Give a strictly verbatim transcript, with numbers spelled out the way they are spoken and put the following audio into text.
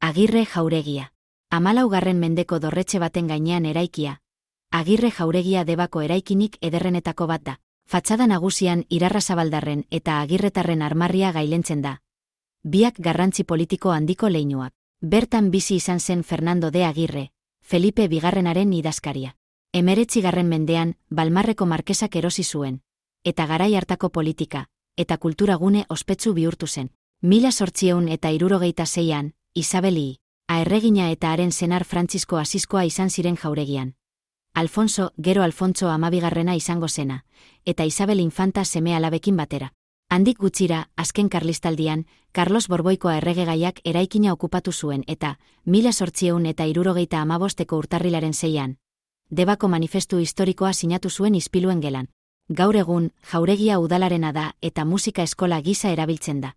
Agirre jauregia. Hamalaugarren mendeko dorretxe baten gainean eraikia. Agirre jauregia Debako eraikinik ederrenetako bat da. Fatxada nagusian Irarrazabaldarren eta Agirretarren armarria gailentzen da. Biak garrantzi politiko handiko leinuak. Bertan bizi izan zen Fernando de Agirre, Felipe bigarrenaren idazkaria. Hemeretzigarren mendean, Balmarreko markesak erosi zuen, eta garai hartako politika, eta kulturagune ospetsu bihurtu zen. Mila zortziehun eta hirurogeita seian, Isabeli, aerregina eta haren senar Frantzisko Asiskoa izan ziren jauregian. Alfonso, gero Alfontso amabigarrena izango zena, eta Isabel infanta seme alabekin batera. Handik gutxira, azken karlistaldian, Carlos Borboikoa erregegaiak eraikina okupatu zuen eta, mila zortziehun eta hirurogeita hamabosteko urtarrilaren seian, Debako manifestu historikoa sinatu zuen ispiluen gelan. Gaur egun, jauregia udalarena da eta musika eskola gisa erabiltzen da.